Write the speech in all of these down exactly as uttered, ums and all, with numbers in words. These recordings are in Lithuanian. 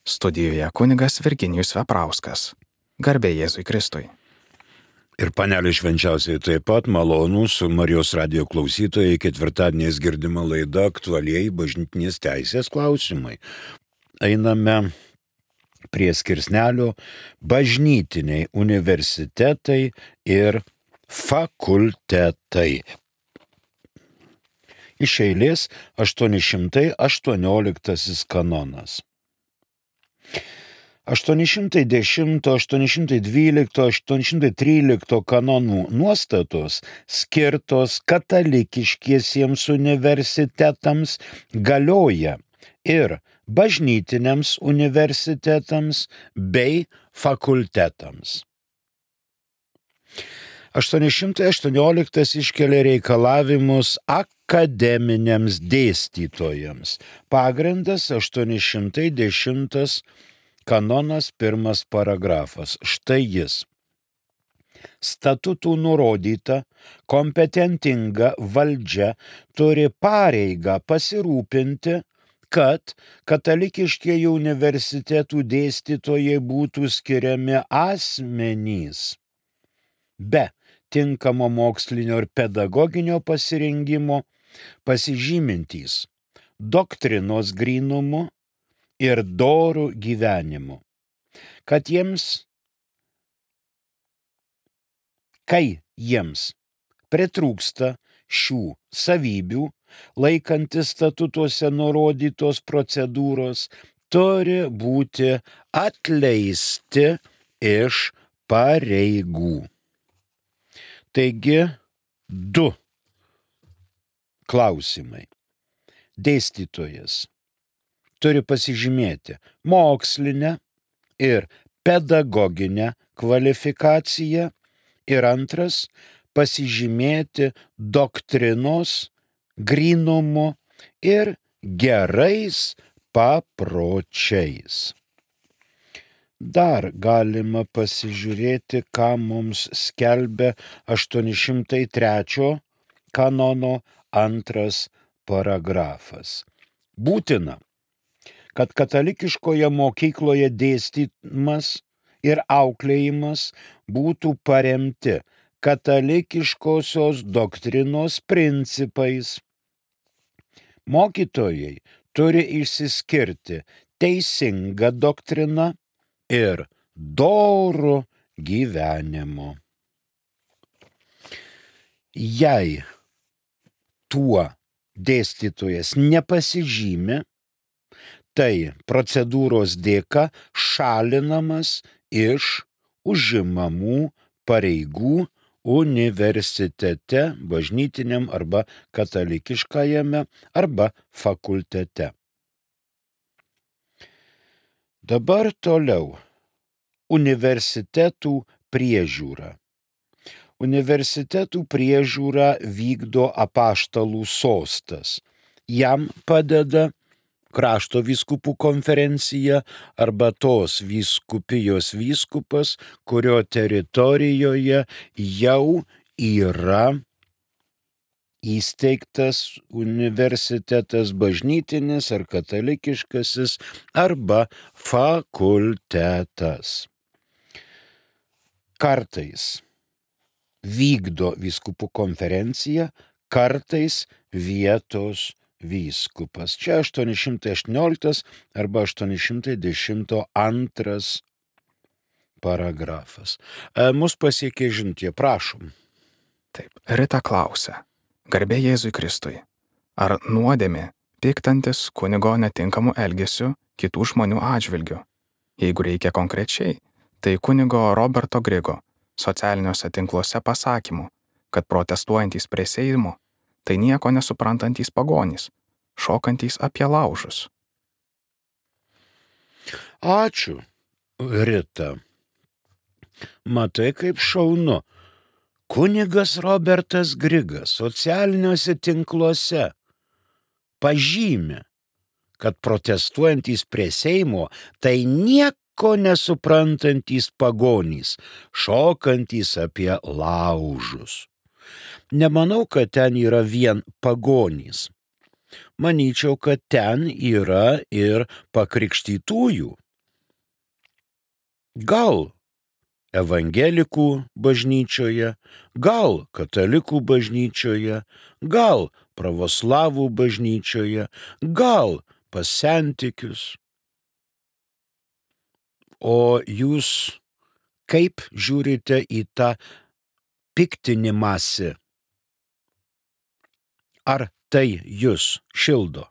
Studijoje kunigas Virginijus Veprauskas. Garbė Jėzui Kristui. Ir panelė švenčiausiai taip pat malonūs Marijos radijo klausytojai, ketvirtadieniais girdima laida aktualieji bažnytinės teisės klausimai. Einame prie skirsnelio bažnytiniai universitetai ir fakultetai. Iš eilės aštuoni šimtai aštuonioliktasis kanonas. aštuoni šimtai dešimto, aštuoni šimtai dvylikto, aštuoni šimtai trylikto kanonų nuostatos skirtos katalikiškiesiems universitetams galioja ir bažnytiniams universitetams bei fakultetams. aštuoni šimtai aštuonioliktas iškelia reikalavimus akademiniams dėstytojams. Pagrindas aštuoni šimtai dešimtas kanonas pirmas paragrafas. Štai jis. Statutų nurodyta, kompetentinga valdžia turi pareigą pasirūpinti, kad katalikiškieji universitetų dėstytojai būtų skiriami asmenys be tinkamo mokslinio ir pedagoginio pasirengimo, pasižymintys doktrinos grynumu ir dorų gyvenimu, kad jiems, kai jiems pritrūksta šių savybių, laikantis statutuose nurodytos procedūros, turi būti atleisti iš pareigų. Taigi, du klausimai. Dėstytojas turi pasižymėti mokslinę ir pedagoginę kvalifikaciją ir antras pasižymėti doktrinos grynumu ir gerais papročiais. Dar galima pasižiūrėti, ką mums skelbia aštuoni šimtai trečio kanono antras paragrafas. Būtina, kad katalikiškoje mokykloje dėstymas ir auklėjimas būtų paremti katalikiškosios doktrinos principais. Mokytojai turi išsiskirti teisinga doktrina ir doru gyvenimu. Jei tuo dėstytojas nepasižymi, tai procedūros dėka šalinamas iš užimamų pareigų universitete, bažnytiniam arba katalikiškajame arba fakultete. Dabar toliau. Universitetų priežiūra. Universitetų priežiūrą vykdo apaštalų sostas. Jam padeda krašto vyskupų konferencija arba tos vyskupijos vyskupas, kurio teritorijoje jau yra įsteigtas universitetas bažnytinis ar katalikiškasis arba fakultetas. Kartais vykdo vyskupų konferencija, kartais vietos vyskupas. Čia aštuoni šimtai aštuonioliktas arba aštuoni šimtai dešimt antras paragrafas. E, mus pasiekė žinutė, prašom. Taip, Rita klausia. Garbė Jėzui Kristui. Ar nuodėmė piktantis kunigo netinkamu elgesiu kitų žmonių atžvilgiu? Jeigu reikia konkrečiai, tai kunigo Roberto Grigo socialiniuose tinkluose pasakymų, kad protestuojantys prie Seimo tai nieko nesuprantantys pagonys, šokantys apie laužus. Ačiū, Rita. Matai, kaip šaunu. Kunigas Robertas Grigas socialiniuose tinkluose pažymi, kad protestuojantys prie Seimo tai nieko nesuprantantys pagonys, šokantys apie laužus. Nemanau, kad ten yra vien pagonys. Manyčiau, kad ten yra ir pakrikštytųjų, Gal evangelikų bažnyčioje, gal katalikų bažnyčioje, gal pravoslavų bažnyčioje, gal pas sentikius. O jūs kaip žiūrite į tą piktinimąsi? Ar tai jūs šildo?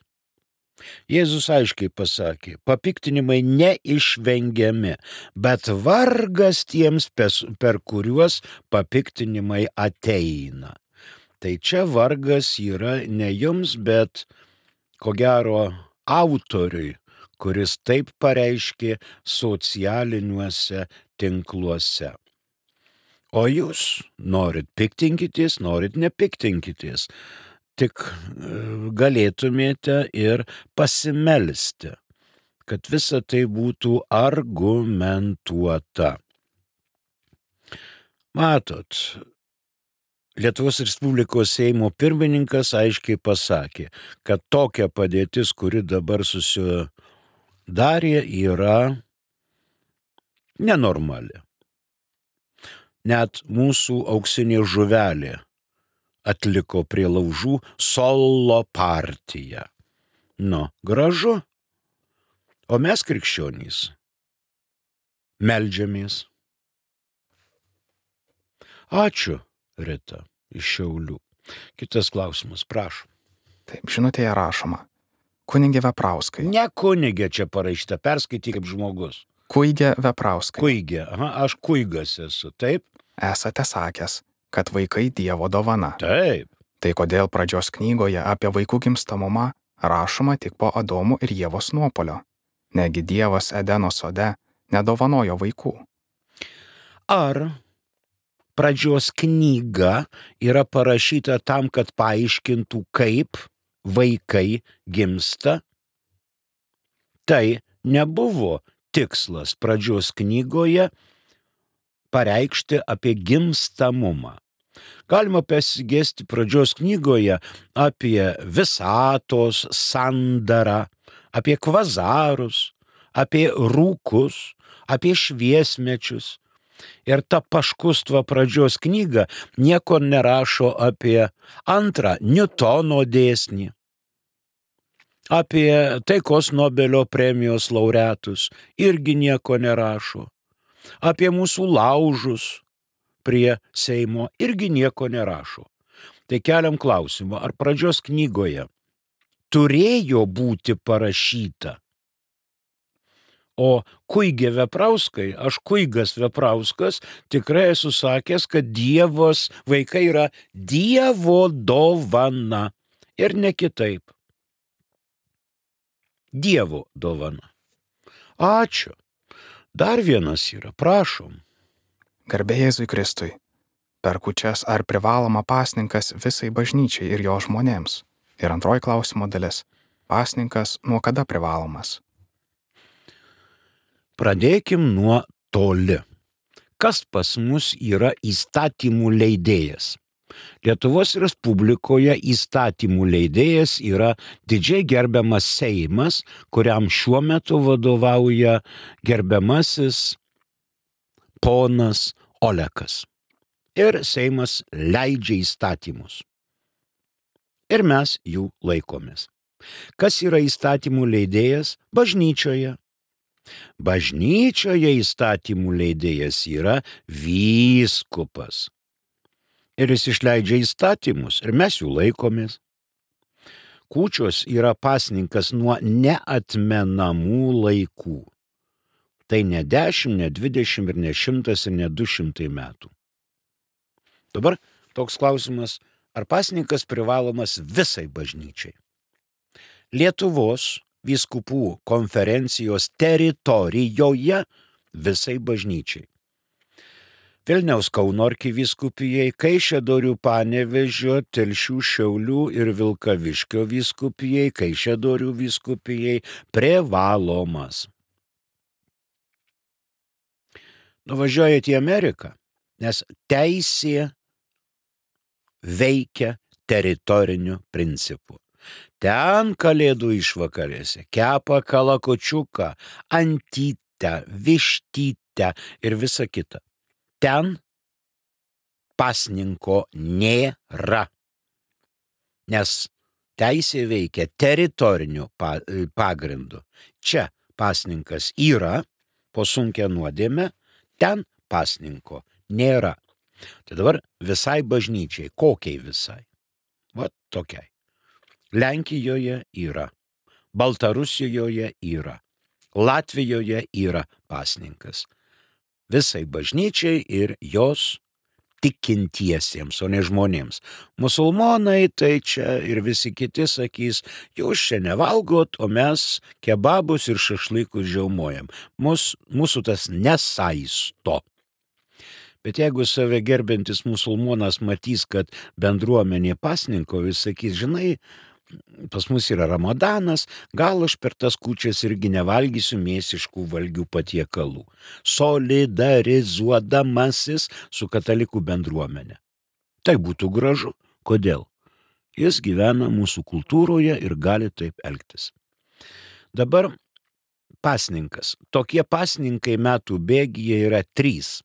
Jėzus aiškiai pasakė, papiktinimai neišvengiami, bet vargas tiems, per kuriuos papiktinimai ateina. Tai čia vargas yra ne jums, bet ko gero autoriui, kuris taip pareiškė socialiniuose tinkluose. O jūs norit piktinkitės, norit nepiktinkitės. Tik galėtumėte ir pasimelsti, kad visa tai būtų argumentuota. Matot, Lietuvos Respublikos Seimo pirmininkas aiškiai pasakė, kad tokia padėtis, kuri dabar susidarė, yra nenormali. Net mūsų auksinė žuvelė atliko prie laužų solo partiją. Nu, gražu. O mes krikščionys meldžiamės. Ačiū, Rita, iš Šiaulių. Kitas klausimas, prašom. Taip, žinutėje rašoma. Kunigė Veprauskai. Ne kunigė čia parašyta, perskaityk kaip žmogus. Kuigė Veprauskai. Kuigė, aha, aš kuigas esu, taip? Esate sakęs, kad vaikai Dievo dovana. Taip. Tai kodėl pradžios knygoje apie vaikų gimstamumą rašoma tik po Adomo ir Ievos nuopuolio? Negi Dievas Edeno sode nedovanojo vaikų? Ar pradžios knyga yra parašyta tam, kad paaiškintų, kaip vaikai gimsta? Tai nebuvo tikslas pradžios knygoje pareikšti apie gimstamumą. Galima pasigesti pradžios knygoje apie visatos sandarą, apie kvazarus, apie rūkus, apie šviesmečius. Ir ta paškustva pradžios knyga nieko nerašo apie antrą Niutono dėsnį, apie taikos Nobelio premijos laureatus irgi nieko nerašo, apie mūsų laužus prie Seimo irgi nieko nerašo. Tai keliam klausimą, ar pradžios knygoje turėjo būti parašyta? O Kuigė Veprauskai, aš Kuigas Veprauskas, tikrai esu sakęs, kad Dievos vaikai yra Dievo dovana ir ne kitaip. Dievo dovana. Ačiū. Dar vienas yra, prašom. Garbė Jėzui Kristui. Per kūčias ar privaloma pasninkas visai bažnyčiai ir jo žmonėms? Ir antroji klausimo dalis. Pasninkas nuo kada privalomas? Pradėkim nuo toli. Kas pas mus yra įstatymų leidėjas? Lietuvos Respublikoje įstatymų leidėjas yra didžiai gerbiamas Seimas, kuriam šiuo metu vadovauja gerbiamasis ponas Olekas. Ir Seimas leidžia įstatymus. Ir mes jų laikomės. Kas yra įstatymų leidėjas? Bažnyčioje. Bažnyčioje įstatymų leidėjas yra vyskupas. Ir jis išleidžia įstatymus, ir mes jų laikomės. Kūčios yra pasninkas nuo neatmenamų laikų. Tai ne dešimt, ne dvidešimt, ir ne šimtas, ir ne du šimtai metų. Dabar toks klausimas, ar pasninkas privalomas visai bažnyčiai? Lietuvos vyskupų konferencijos teritorijoje visai bažnyčiai. Vilniaus Kauno arkivyskupijai, Kaišiadorių Panevėžio, Telšių, Šiaulių ir Vilkaviškio vyskupijai, Kaišiadorių vyskupijai privalomas. Nuvažiuojate į Ameriką, nes teisė veikia teritoriniu principu. Ten kalėdų išvakarėse kepa kalakučiuką, antytę, vištytę, mieste ir visa kita. Ten pasninko nėra, nes teisė veikia teritoriniu pagrindu. Čia pasninkas yra, po sunkia nuodėme, ten pasninko nėra. Tai dabar visai bažnyčiai, kokiai visai? Va tokiai. Lenkijoje yra, Baltarusijoje yra, Latvijoje yra pasninkas. Visai bažnyčiai ir jos tikintiesiems, o ne žmonėms. Musulmonai tai čia ir visi kiti sakys, jūs čia nevalgot, o mes kebabus ir šašlykus žiaumojam. Mus, mūsų tas nesaisto. Bet jeigu save gerbiantis musulmonas matys, kad bendruomenė pasninko, jis sakys, žinai, pas mus yra Ramadanas, gal aš per tas kūčias irgi nevalgysiu mėsiškų valgių patiekalų, solidarizuodamasis su katalikų bendruomenė. Tai būtų gražu. Kodėl? Jis gyvena mūsų kultūroje ir gali taip elgtis. Dabar pasninkas. Tokie pasninkai metų bėgyje yra trys.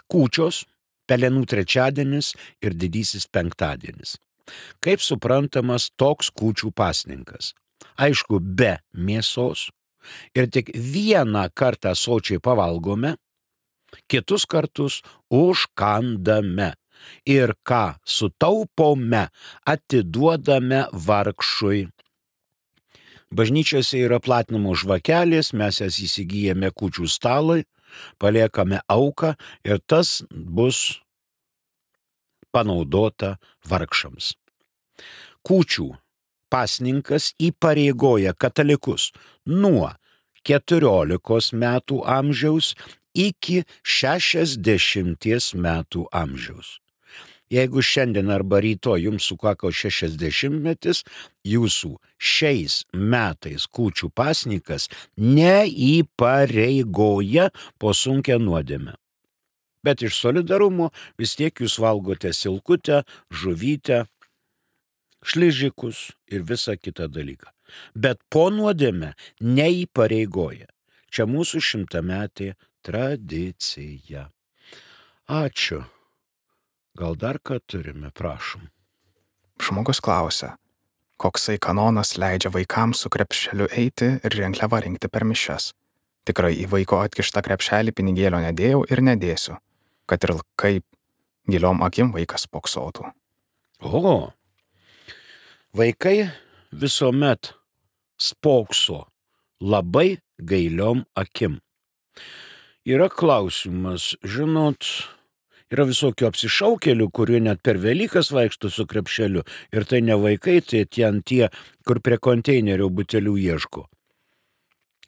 Kūčios, Pelenų trečiadienis ir didysis penktadienis. Kaip suprantamas toks kūčių pasninkas? Aišku, be mėsos ir tik vieną kartą sočiai pavalgome, kitus kartus užkandame ir ką sutaupome, atiduodame vargšui. Bažnyčiose yra platinamos žvakelės, mes jas įsigijame kūčių stalui, paliekame auką ir tas bus panaudota vargšams. Kūčių pasninkas įpareigoja katalikus nuo keturiolikos metų amžiaus iki šešiasdešimties metų amžiaus. Jeigu šiandien arba rytoj jums sukako šešiasdešimtmetis, jūsų šiais metais kūčių pasninkas neįpareigoja po sunkia nuodėme. Bet iš solidarumo vis tiek jūs valgote silkutę, žuvytę, šližikus ir visą kitą dalyką. Bet po nuodėme neįpareigoja. Čia mūsų šimtametė tradicija. Ačiū. Gal dar ką turime, prašom. Žmogus klausia, koksai kanonas leidžia vaikams su krepšeliu eiti ir rinkliavą rinkti per mišias. Tikrai į vaiko atkištą krepšelį pinigėlio nedėjau ir nedėsiu, kad ir kaip giliom akim vaikas spoksotų. O, vaikai visuomet spokso labai gailiom akim. Yra klausimas, žinot, yra visokių apsišaukėlių, kurie net per Velykas vaikšto su krepšeliu. Ir tai ne vaikai, tai ten tie, kur prie konteinerio butelių ieško.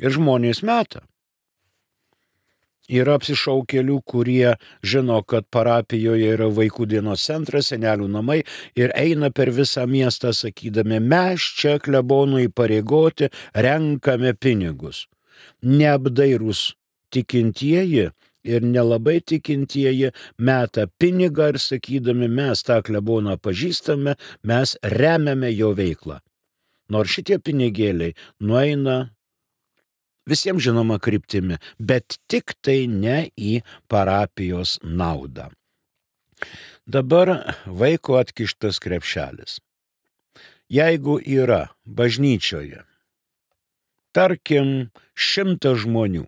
Ir žmonės meta. Yra apsišaukėlių, kurie žino, kad parapijoje yra vaikų dienos centras, senelių namai ir eina per visą miestą sakydami, mes čia klebonų įpareigoti, renkame pinigus. Neapdairūs tikintieji ir nelabai tikintieji meta pinigą ir sakydami, mes tą kleboną pažįstame, mes remiame jo veiklą. Nors šitie pinigėliai nueina visiems žinoma kryptimi, bet tik tai ne į parapijos naudą. Dabar vaiko atkištas krepšelis. Jeigu yra bažnyčioje, tarkim, šimtas žmonių,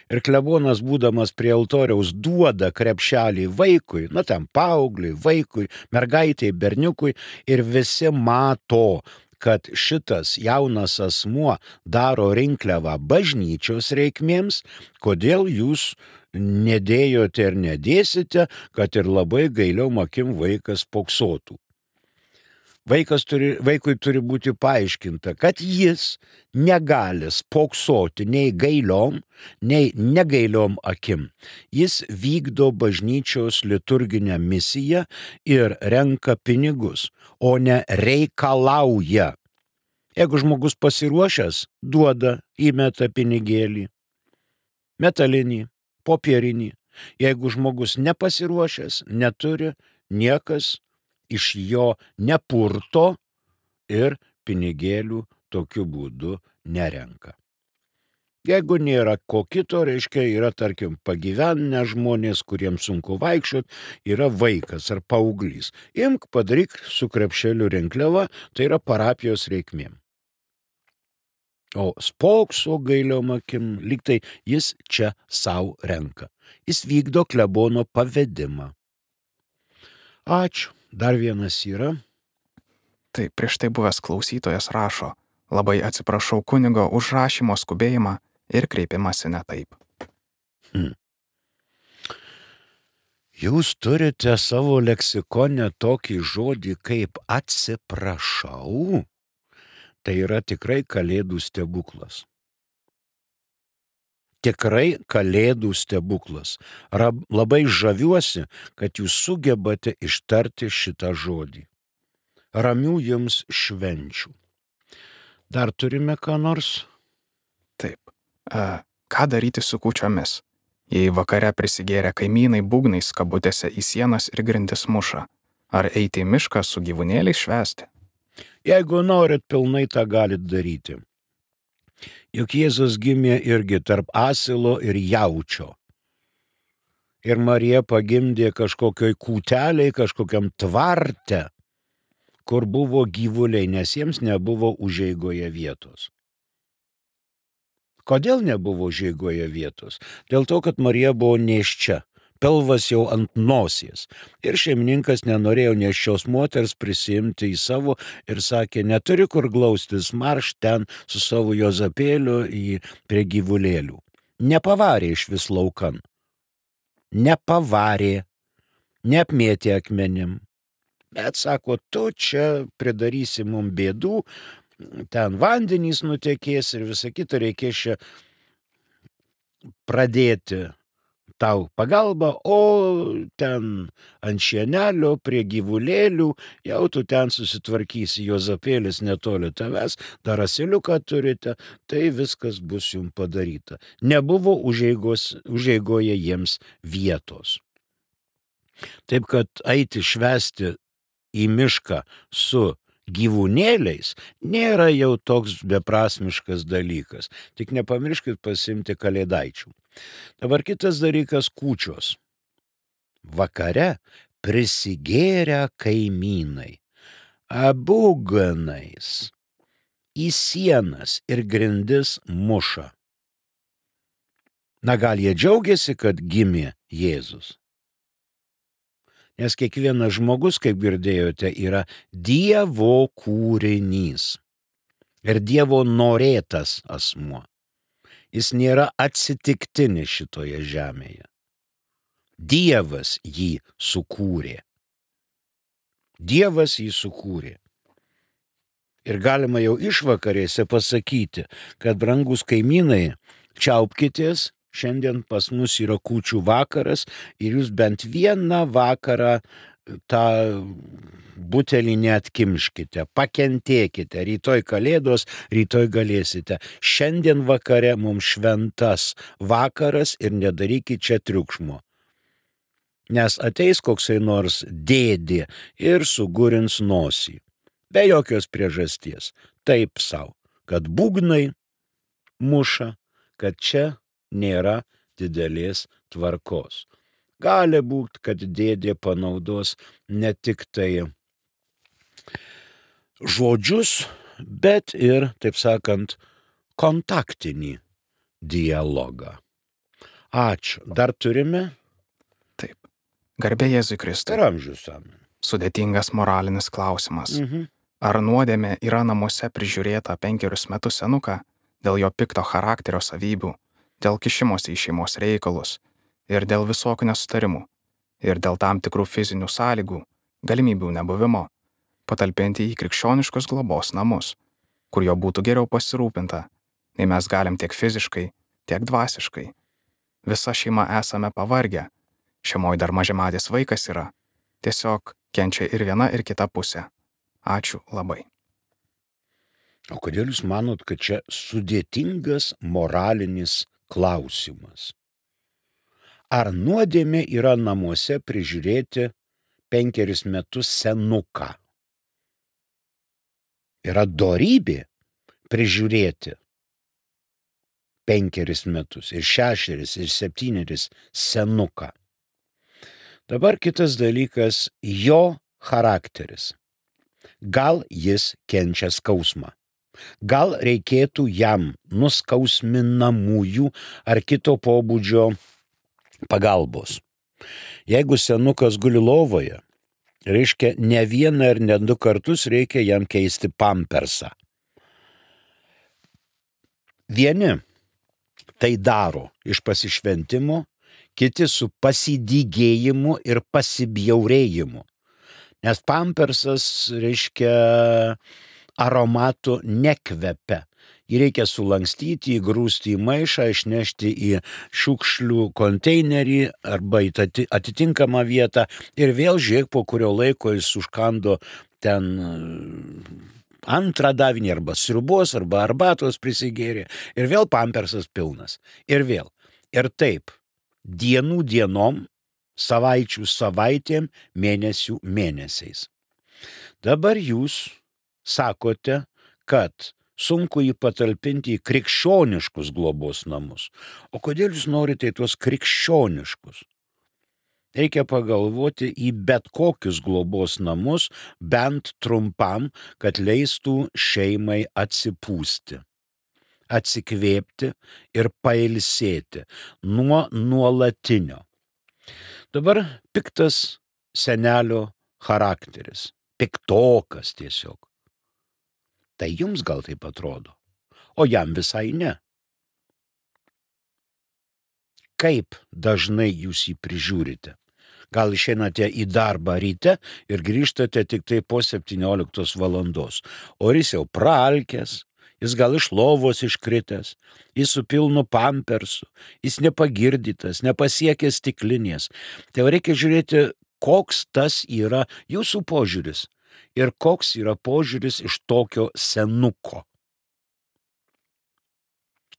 ir klebonas, būdamas prie altoriaus, duoda krepšelį vaikui, na ten paaugliui, vaikui, mergaitei, berniukui, ir visi mato, kad šitas jaunas asmuo daro rinkliavą bažnyčios reikmėms, kodėl jūs nedėjote ir nedėsite, kad ir labai gailiom akim vaikas poksotų. Vaikas turi, vaikui turi būti paaiškinta, kad jis negali spoksoti nei gailiom, nei negailiom akim. Jis vykdo bažnyčios liturginę misiją ir renka pinigus, o ne reikalauja. Jeigu žmogus pasiruošęs, duoda, įmeta pinigėlį, metalinį, popierinį. Jeigu žmogus nepasiruošęs, neturi, niekas iš jo nepurto ir pinigėlių tokiu būdu nerenka. Jeigu nėra ko kito, reiškia, yra, tarkim, pagyvenę žmonės, kuriems sunku vaikščiot, yra vaikas ar paauglys. Imk, padaryk su krepšeliu rinkliavą, tai yra parapijos reikmėm. O spokso gailiom akim, lyg tai jis čia savo renka. Jis vykdo klebono pavedimą. Ačiū. Dar vienas yra. Tai prieš tai buvęs klausytojas rašo: labai atsiprašau kunigo už rašymo skubėjimą ir kreipimąsi ne taip. Hmm. Jūs turite savo leksikone tokį žodį kaip atsiprašau. Tai yra tikrai kalėdų stebuklas. Tikrai kalėdų stebuklas. Rab, labai žaviuosi, kad jūs sugebate ištarti šitą žodį. Ramių jums švenčių. Dar turime ką nors? Taip. E, ką daryti su kūčiomis? Jei vakare prisigėrę kaimynai būgnais kabutėse į sienas ir grindis muša, ar eiti į mišką su gyvūnėliais švęsti? Jeigu norit, pilnai tą galit daryti. Juk Jėzus gimė irgi tarp asilo ir jaučio. Ir Marija pagimdė kažkokioj kūteliai, kažkokiam tvarte, kur buvo gyvuliai, nes jiems nebuvo užeigoje vietos. Kodėl nebuvo užeigoje vietos? Dėl to, kad Marija buvo nėščia, pilvas jau ant nosies. Ir šeimininkas nenorėjo nėščios moters prisimti į savo ir sakė, neturi kur glaustis, marš ten su savo Jozapėliu į prie gyvulėlių. Nepavarė iš vis laukan. Nepavarė, neapmėtė akmenim. Bet sako, tu čia pridarysi mum bėdų, ten vandenys nutekės ir visą kitą reikės čia pradėti tau pagalbą, o ten ant šienelio prie gyvulėlių jau tu ten susitvarkysi, Jozapėlis netoli tavęs, dar asiliuką turite, tai viskas bus jums padaryta. Nebuvo užeigos, užeigoje jiems vietos. Taip kad eiti švęsti į mišką su gyvūnėliais nėra jau toks beprasmiškas dalykas. Tik nepamirškit pasimti kalėdaičių. Dabar kitas dalykas - kūčios. Vakare prisigėrę kaimynai, abūganais, į sienas ir grindis muša. Na gal jie džiaugiasi, kad gimė Jėzus? Nes kiekvienas žmogus, kaip girdėjote, yra Dievo kūrinys ir Dievo norėtas asmuo. Jis nėra atsitiktinis šitoje žemėje. Dievas jį sukūrė. Dievas jį sukūrė. Ir galima jau išvakarėse pasakyti, kad brangus kaimynai, čiaupkitės, šiandien pas mus yra kūčių vakaras ir jūs bent vieną vakarą tą butelį neatkimškite, pakentėkite, rytoj kalėdos, rytoj galėsite. Šiandien vakare mums šventas vakaras ir nedarykit čia triukšmo. Nes ateis koksai nors dėdė ir sugurins nosį. Be jokios priežasties. Taip savo, kad būgnai muša, kad čia nėra didelės tvarkos. Gali būti, kad dėdė panaudos ne tik tai žodžius, bet ir, taip sakant, kontaktinį dialogą. Ačiū. Dar turime? Taip. Garbė Jėzui Kristui. Ir amžius amen. Sudėtingas moralinis klausimas. Mhm. Ar nuodėmė yra namuose prižiūrėta penkerius metus senuką dėl jo pikto charakterio savybių, dėl kišimosi į šeimos reikalus ir dėl visokių nesutarimų ir dėl tam tikrų fizinių sąlygų, galimybių nebuvimo, patalpinti į krikščioniškus globos namus, kur jo būtų geriau pasirūpinta, nei mes galim tiek fiziškai, tiek dvasiškai. Visa šeima esame pavargę, šeimoj dar mažiametis vaikas yra, tiesiog kenčia ir viena ir kita pusė. Ačiū labai. O kodėl jūs manot, kad čia sudėtingas moralinis klausimas? Ar nuodėmė yra namuose prižiūrėti penkeris metus senuką? Yra dorybė prižiūrėti penkeris metus, ir šešeris, ir septyneris senuką. Dabar kitas dalykas - jo charakteris. Gal jis kenčia skausmą. Gal reikėtų jam nuskausminamųjų ar kito pobūdžio pagalbos. Jeigu senukas guli lovoje, reiškia ne vieną ir ne du kartus reikia jam keisti pampersą. Vieni tai daro iš pasišventimo, kiti su pasidygėjimu ir pasibjaurėjimu. Nes pampersas, reiškia, aromatų nekvepia. Jį reikia sulankstyti, įgrūsti į maišą, išnešti į šiukšlių konteinerį arba į atitinkamą vietą ir vėl žiūrėk, po kurio laiko jis užkando ten antrą davinį arba sriubos, arba arbatos prisigėrė ir vėl pampersas pilnas. Ir vėl. Ir taip, dienų dienom, savaičių savaitėm, mėnesių mėnesiais. Dabar jūs sakote, kad sunku jį patalpinti į krikščioniškus globos namus. O kodėl jūs norite į tuos krikščioniškus? Reikia pagalvoti į bet kokius globos namus, bent trumpam, kad leistų šeimai atsipūsti, atsikvėpti ir pailsėti nuo nuolatinio. Dabar piktas senelio charakteris, piktokas tiesiog. Tai jums gal taip atrodo, o jam visai ne. Kaip dažnai jūs jį prižiūrite? Gal išeinate į darbą ryte ir grįžtate tik tai po septynioliktos valandos, o jis jau praalkęs, jis gal iš lovos iškritęs, jis su pilnu pampersu, jis nepagirdytas, nepasiekęs stiklinės. Tai reikia žiūrėti, koks tas yra jūsų požiūris. Ir koks yra požiūris iš tokio senuko.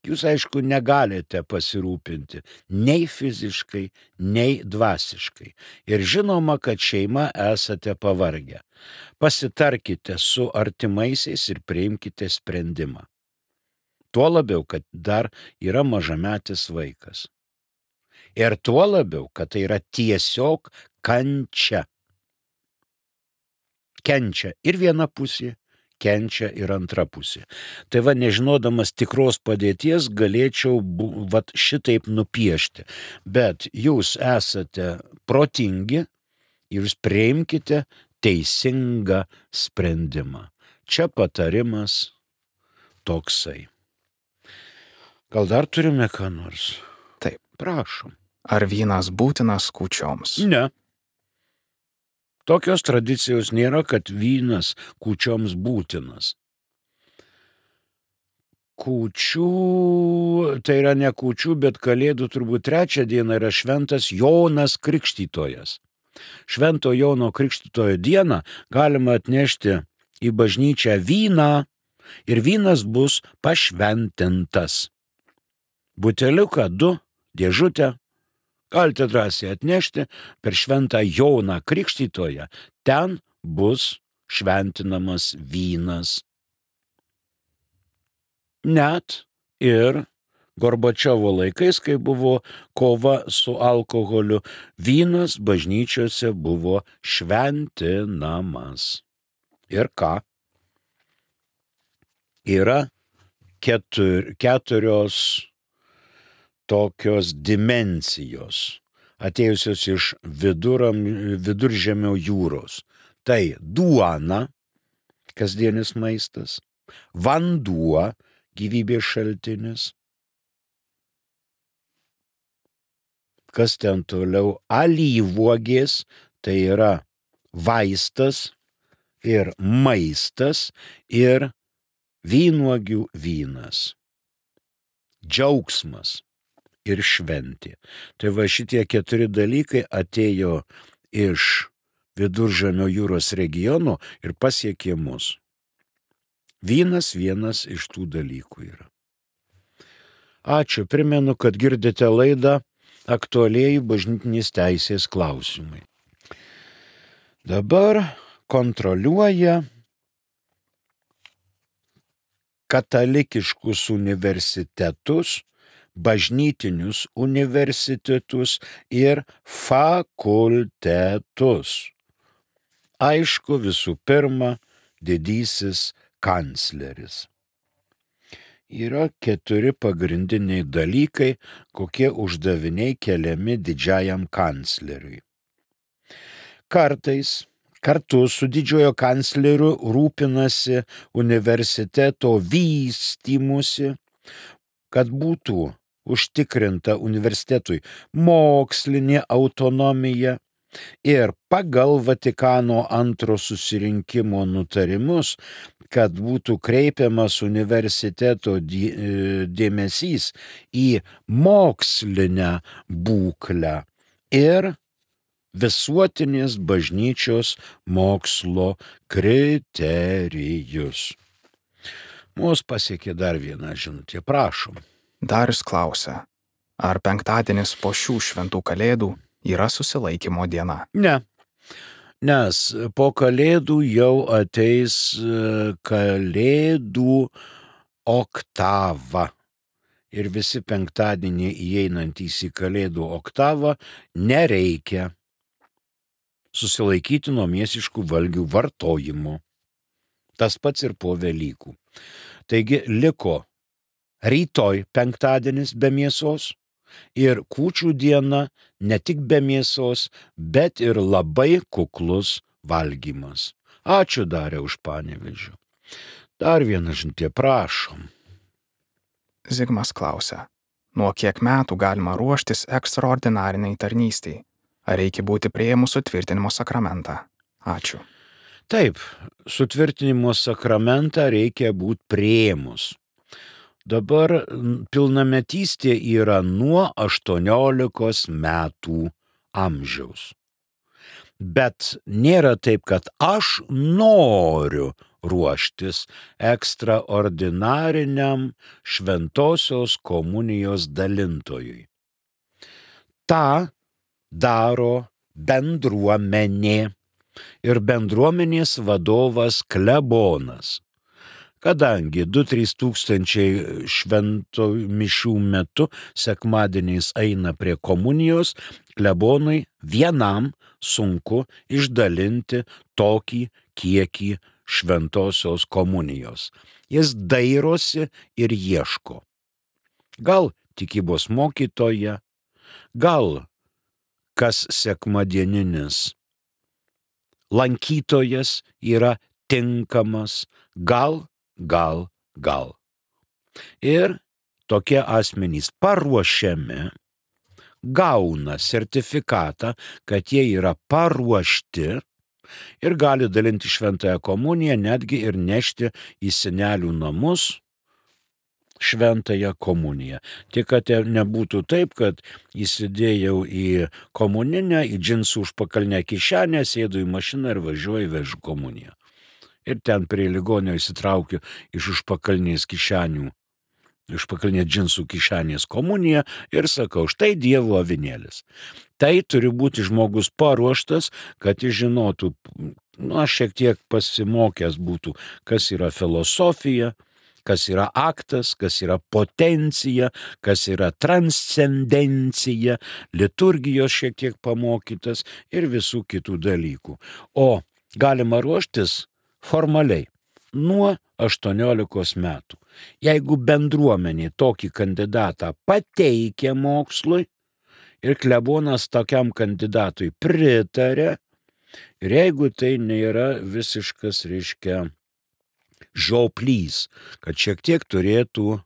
Jūs, aišku, negalite pasirūpinti nei fiziškai, nei dvasiškai. Ir žinoma, kad šeima esate pavargę. Pasitarkite su artimaisiais ir priimkite sprendimą. Tuo labiau, kad dar yra mažametis vaikas. Ir tuo labiau, kad tai yra tiesiog kančia. Kenčia ir viena pusė, kenčia ir antra pusė. Tai va, nežinodamas tikros padėties, galėčiau vat šitaip nupiešti. Bet jūs esate protingi ir jūs priimkite teisingą sprendimą. Čia patarimas toksai. Gal dar turime ką nors? Taip. Prašom. Ar vynas būtinas kūčioms? Ne. Tokios tradicijos nėra, kad vynas kūčioms būtinas. Kūčių, tai yra ne kūčių, bet kalėdų turbūt trečią dieną yra šventas Jonas Krikštytojas. Švento Jono Krikštytojo dieną galima atnešti į bažnyčią vyną ir vynas bus pašventintas. Buteliuką du, dėžutę. Galite drąsiai atnešti per šventą Joną Krikštytoją. Ten bus šventinamas vynas. Net ir Gorbačiovo laikais, kai buvo kova su alkoholiu, vynas bažnyčiose buvo šventinamas. Ir ką? Yra ketur, keturios tokios dimensijos, atėjusios iš viduram, viduržemio jūros. Tai duona, kasdienis maistas, vanduo, gyvybės šaltinis. Kas ten toliau? Alyvuogės, tai yra vaistas ir maistas ir vynuogių vynas. Džiaugsmas ir šventė. Tai va šitie keturi dalykai atėjo iš Viduržemio jūros regiono ir pasiekė mus. Vynas vienas iš tų dalykų yra. Ačiū, primenu, kad girdite laidą Aktualieji bažnytinės teisės klausimai. Dabar kontroliuoja katalikiškus universitetus bažnytinius universitetus ir fakultetus. Aišku, visų pirma, didysis kancleris. Yra keturi pagrindiniai dalykai, kokie uždaviniai keliami didžiajam kancleriui. Kartais kartu su didžiojo kancleriu rūpinasi universiteto vystymusi, kad būtų užtikrinta universitetui mokslinė autonomija ir pagal Vatikano antro susirinkimo nutarimus, kad būtų kreipiamas universiteto dėmesys į mokslinę būklę ir visuotinės bažnyčios mokslo kriterijus. Mūsų pasiekė dar vieną žinutę, prašom. Darius klausia, ar penktadienis po šių šventų kalėdų yra susilaikymo diena? Ne, nes po kalėdų jau ateis kalėdų oktava. Ir visi penktadienį įeinantys į kalėdų oktavą nereikia susilaikyti nuo mėsiškų valgių vartojimo. Tas pats ir po Velykų. Taigi liko rytoj penktadienis be mėsos ir kūčių diena ne tik be mėsos, bet ir labai kuklus valgymas. Ačiū Darė už Panevėžį. Dar vieną žinutę, prašom. Zigmas klausia, nuo kiek metų galima ruoštis ekstraordinariniai tarnystei? Ar reikia būti priėmus sutvirtinimo sakramentą? Ačiū. Taip, sutvirtinimo sakramentą reikia būti priėmus. Dabar pilnametystė yra nuo aštuoniolikos metų amžiaus. Bet nėra taip, kad aš noriu ruoštis ekstraordinariniam šventosios komunijos dalintojui. Ta daro bendruomenė ir bendruomenės vadovas klebonas. Kadangi du trys tūkstančiai švento mišių metu sekmadieniais eina prie komunijos, klebonui vienam sunku išdalinti tokį kiekį šventosios komunijos. Jis dairosi ir ieško. Gal tikybos mokytoja, gal kas sekmadieninis lankytojas yra tinkamas, gal, gal, gal. Ir tokie asmenys paruošiami, gauna sertifikatą, kad jie yra paruošti ir gali dalinti šventąją komuniją, netgi ir nešti į senelių namus šventąją komuniją. Tik kad nebūtų taip, kad įsidėjau į komuninę, į džinsų užpakalinę kišenę, sėdu į mašiną ir važiuoju vežu komuniją. Ir ten prie ligonio įsitraukiu iš užpakalinės kišenių, iš pakalinės džinsų kišenės komuniją ir sakau, štai Dievo avinėlis. Tai turi būti žmogus paruoštas, kad jis žinotų, nu, aš šiek tiek pasimokęs būtų, kas yra filosofija, kas yra aktas, kas yra potencija, kas yra transcendencija, liturgijos šiek tiek pamokytas ir visų kitų dalykų. O galima ruoštis formaliai nuo aštuoniolikos metų. Jeigu bendruomenė tokį kandidatą pateikia mokslui ir klebonas tokiam kandidatui pritarė, ir jeigu tai nėra visiškas, reiškia, žioplys, kad šiek tiek turėtų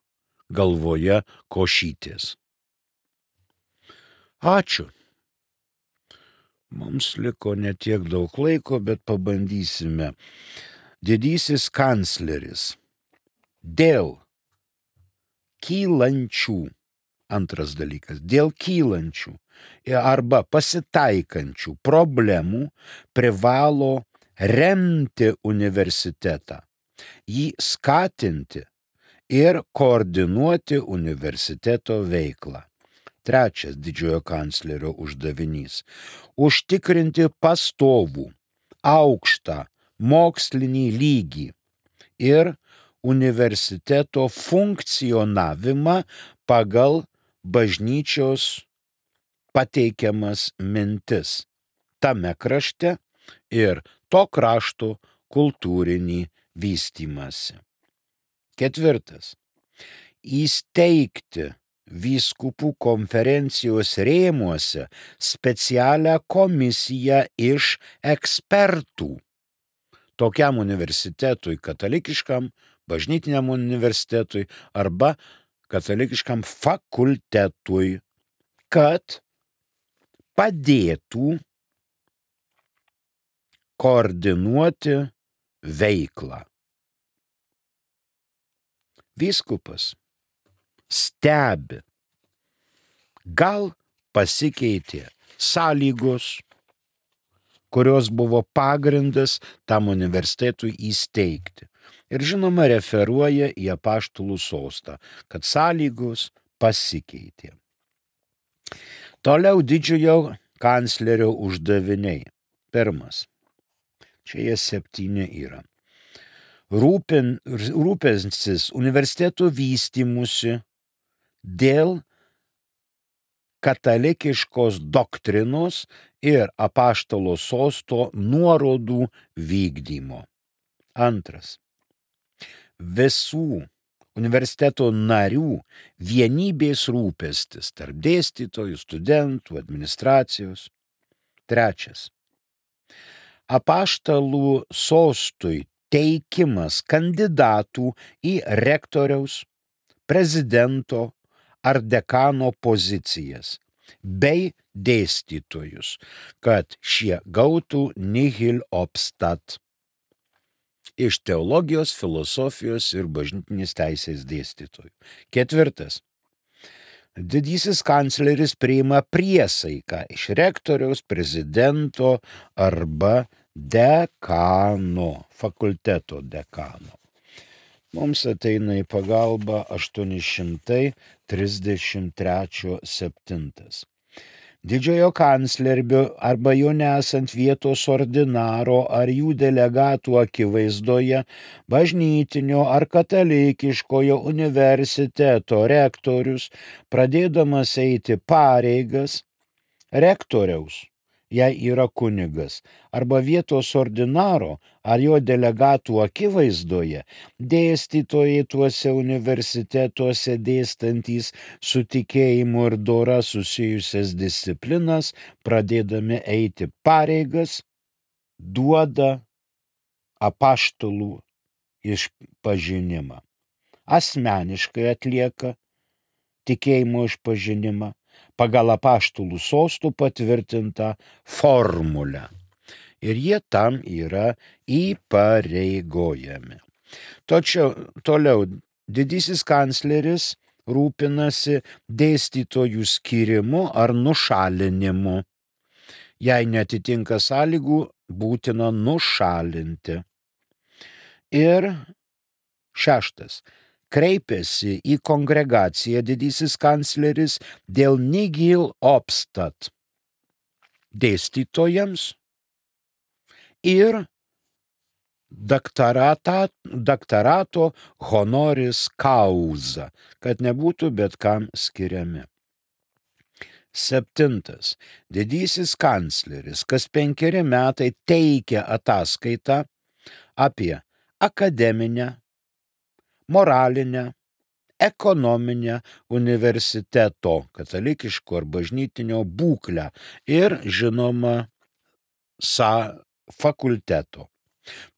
galvoje košytės. Ačiū. Mums liko ne tiek daug laiko, bet pabandysime. Didysis kancleris. Dėl kylančių, antras dalykas, dėl kylančių arba pasitaikančių problemų privalo remti universitetą, jį skatinti ir koordinuoti universiteto veiklą. Trečias didžiojo kanclerio uždavinys – užtikrinti pastovų, aukštą mokslinį lygį ir universiteto funkcionavimą pagal bažnyčios pateikiamas mintis tame krašte ir to krašto kultūrinį vystymąsi. Ketvirtas. Įsteigti vyskupų konferencijos rėmuose specialią komisiją iš ekspertų tokiam universitetui, katalikiškam, bažnytiniam universitetui arba katalikiškam fakultetui, kad padėtų koordinuoti veiklą. Vyskupas stebi, gal pasikeitė sąlygos, kurios buvo pagrindas tam universitetui įsteigti. Ir žinoma, referuoja į apaštalų sostą, kad sąlygos pasikeitė. Toliau didžiojo kanclerio uždaviniai. Pirmas. Čia jie septyni yra. Rūpin, rūpinsis universiteto vystymusi dėl katalikiškos doktrinos ir apaštalo sosto nuorodų vykdymo. Antras. Visų universiteto narių vienybės rūpestis tarp dėstytojų, studentų, administracijos. Trečias. Apaštalų sostui teikimas kandidatų į rektoriaus, prezidento ar dekano pozicijas bei dėstytojus, kad šie gautų nihil obstat iš teologijos, filosofijos ir bažnytinės teisės dėstytojų. Ketvirtas. Didysis kancleris priima priesaiką iš rektoriaus, prezidento arba dekano, fakulteto dekano. Mums ateina į pagalbą aštuoni šimtai trisdešimt trečias septintas. Didžiojo kanclerio arba jo nesant vietos ordinaro ar jų delegatų akivaizdoje bažnytinio ar katalikiškojo universiteto rektorius, pradėdamas eiti pareigas rektoriaus, jei yra kunigas, arba vietos ordinaro ar jo delegatų akivaizdoje, dėstytojai tuose universitetuose dėstantys su tikėjimu ir dora susijusias disciplinas, pradėdami eiti pareigas, duoda apaštalų išpažinimą. Asmeniškai atlieka tikėjimo išpažinimą pagal apaštalų sostų patvirtintą formulę. Ir jie tam yra įpareigojami. Tačiau toliau didysis kancleris rūpinasi dėstytojų skirimu ar nušalinimu. Jei netitinka sąlygų, būtina nušalinti. Ir šeštas. Kreipėsi į kongregaciją didysis kancleris dėl nihil obstat dėstytojams ir daktarata, daktarato honoris causa, kad nebūtų bet kam skiriami. Septintas. Didysis kancleris kas penkeri metai teikia ataskaitą apie akademinę, moralinę, ekonominę universiteto, katalikiško ar bažnytinio būklę ir, žinoma, sa fakulteto.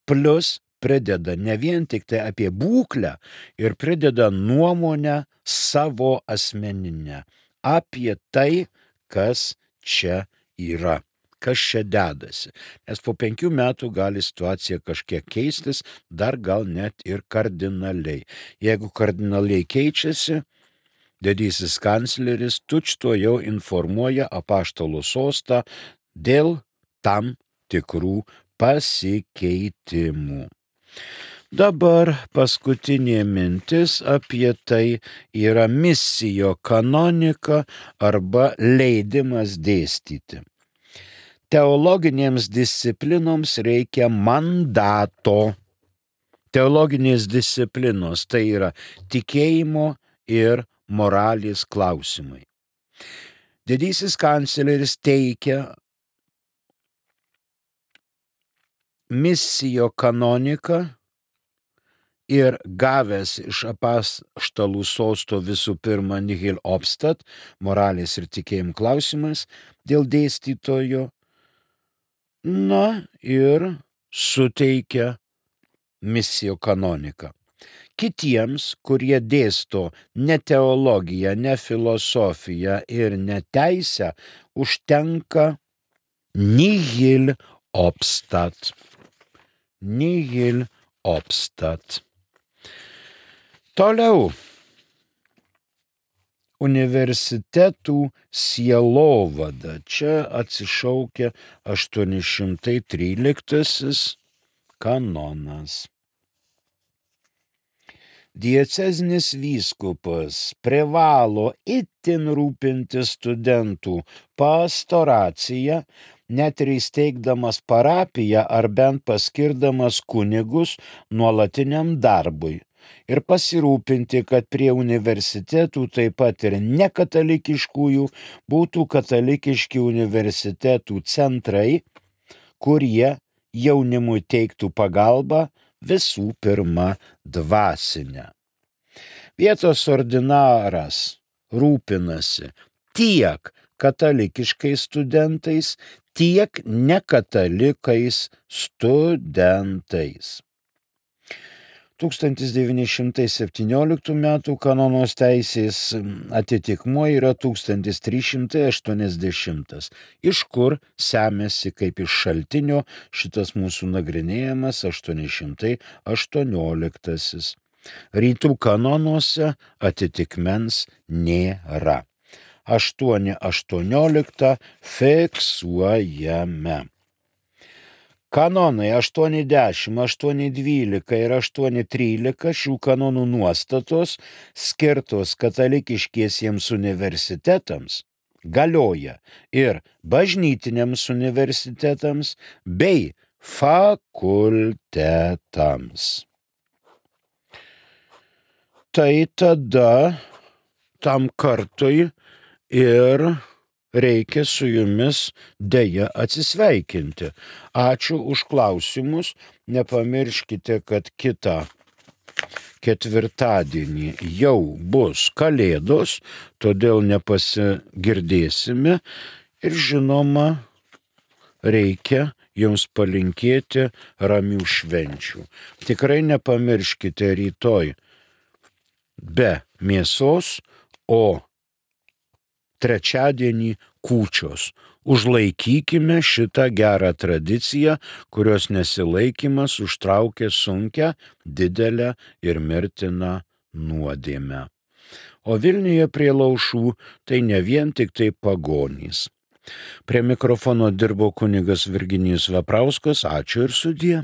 Plus prideda ne vien tik tai apie būklę ir prideda nuomonę savo asmeninę apie tai, kas čia yra, kas čia dedasi. Nes po penkių metų gali situacija kažkiek keistis, dar gal net ir kardinaliai. Jeigu kardinaliai keičiasi, didysis kancleris tučto jau informuoja apaštalų sostą dėl tam tikrų pasikeitimų. Dabar paskutinė mintis apie tai yra misijo kanonika arba leidimas dėstyti. Teologinėms disciplinoms reikia mandato. Teologinės disciplinos tai yra tikėjimo ir moralės klausimai. Didysis kancleris teikia missio canoniką ir gavęs iš apaštalų sosto visų pirma nihil obstat, moralės ir tikėjimų klausimas dėl dėstytojo, na ir suteikia missio canoniką. Kitiems, kurie dėsto ne teologiją, ne filosofiją ir ne teisę, užtenka nihil obstat. Nihil obstat. Toliau. Universitetų sielovada. Čia atsišaukia aštuoni šimtai tryliktasis kanonas. Diecezinis vyskupas privalo itin rūpintis studentų pastoraciją, net ir įsteigdamas parapiją ar bent paskirdamas kunigus nuolatiniam darbui, ir pasirūpinti, kad prie universitetų taip pat ir nekatalikiškųjų būtų katalikiški universitetų centrai, kurie jaunimui teiktų pagalbą, visų pirma dvasinę. Vietos ordinaras rūpinasi tiek katalikiškais studentais, tiek nekatalikais studentais. tūkstantis devyni šimtai septynioliktų metų kanonos teisės atitikmuo yra tūkstantis trys šimtai aštuoniasdešimtas, iš kur semiasi kaip iš šaltinio šitas mūsų nagrinėjamas aštuoni šimtai aštuonioliktasis. Rytų kanonuose atitikmens nėra. aštuoni aštuoniolika fiksuojame. Kanonai aštuoni dešimt, aštuoni dvylika ir aštuoni trylika šių kanonų nuostatos skirtos katalikiškiesiems universitetams galioja ir bažnytiniams universitetams bei fakultetams. Tai tada tam kartui ir reikia su jumis deja atsisveikinti. Ačiū už klausimus. Nepamirškite, kad kitą ketvirtadienį jau bus Kalėdos, todėl nepasigirdėsime ir žinoma, reikia jums palinkėti ramių švenčių. Tikrai nepamirškite rytoj be mėsos, o trečiadienį kūčios. Užlaikykime šitą gerą tradiciją, kurios nesilaikymas užtraukia sunkią, didelę ir mirtiną nuodėmę. O Vilniuje prie laušų tai ne vien tik tai pagonys. Prie mikrofono dirbo kunigas Virginijus Veprauskas. Ačiū ir sudie.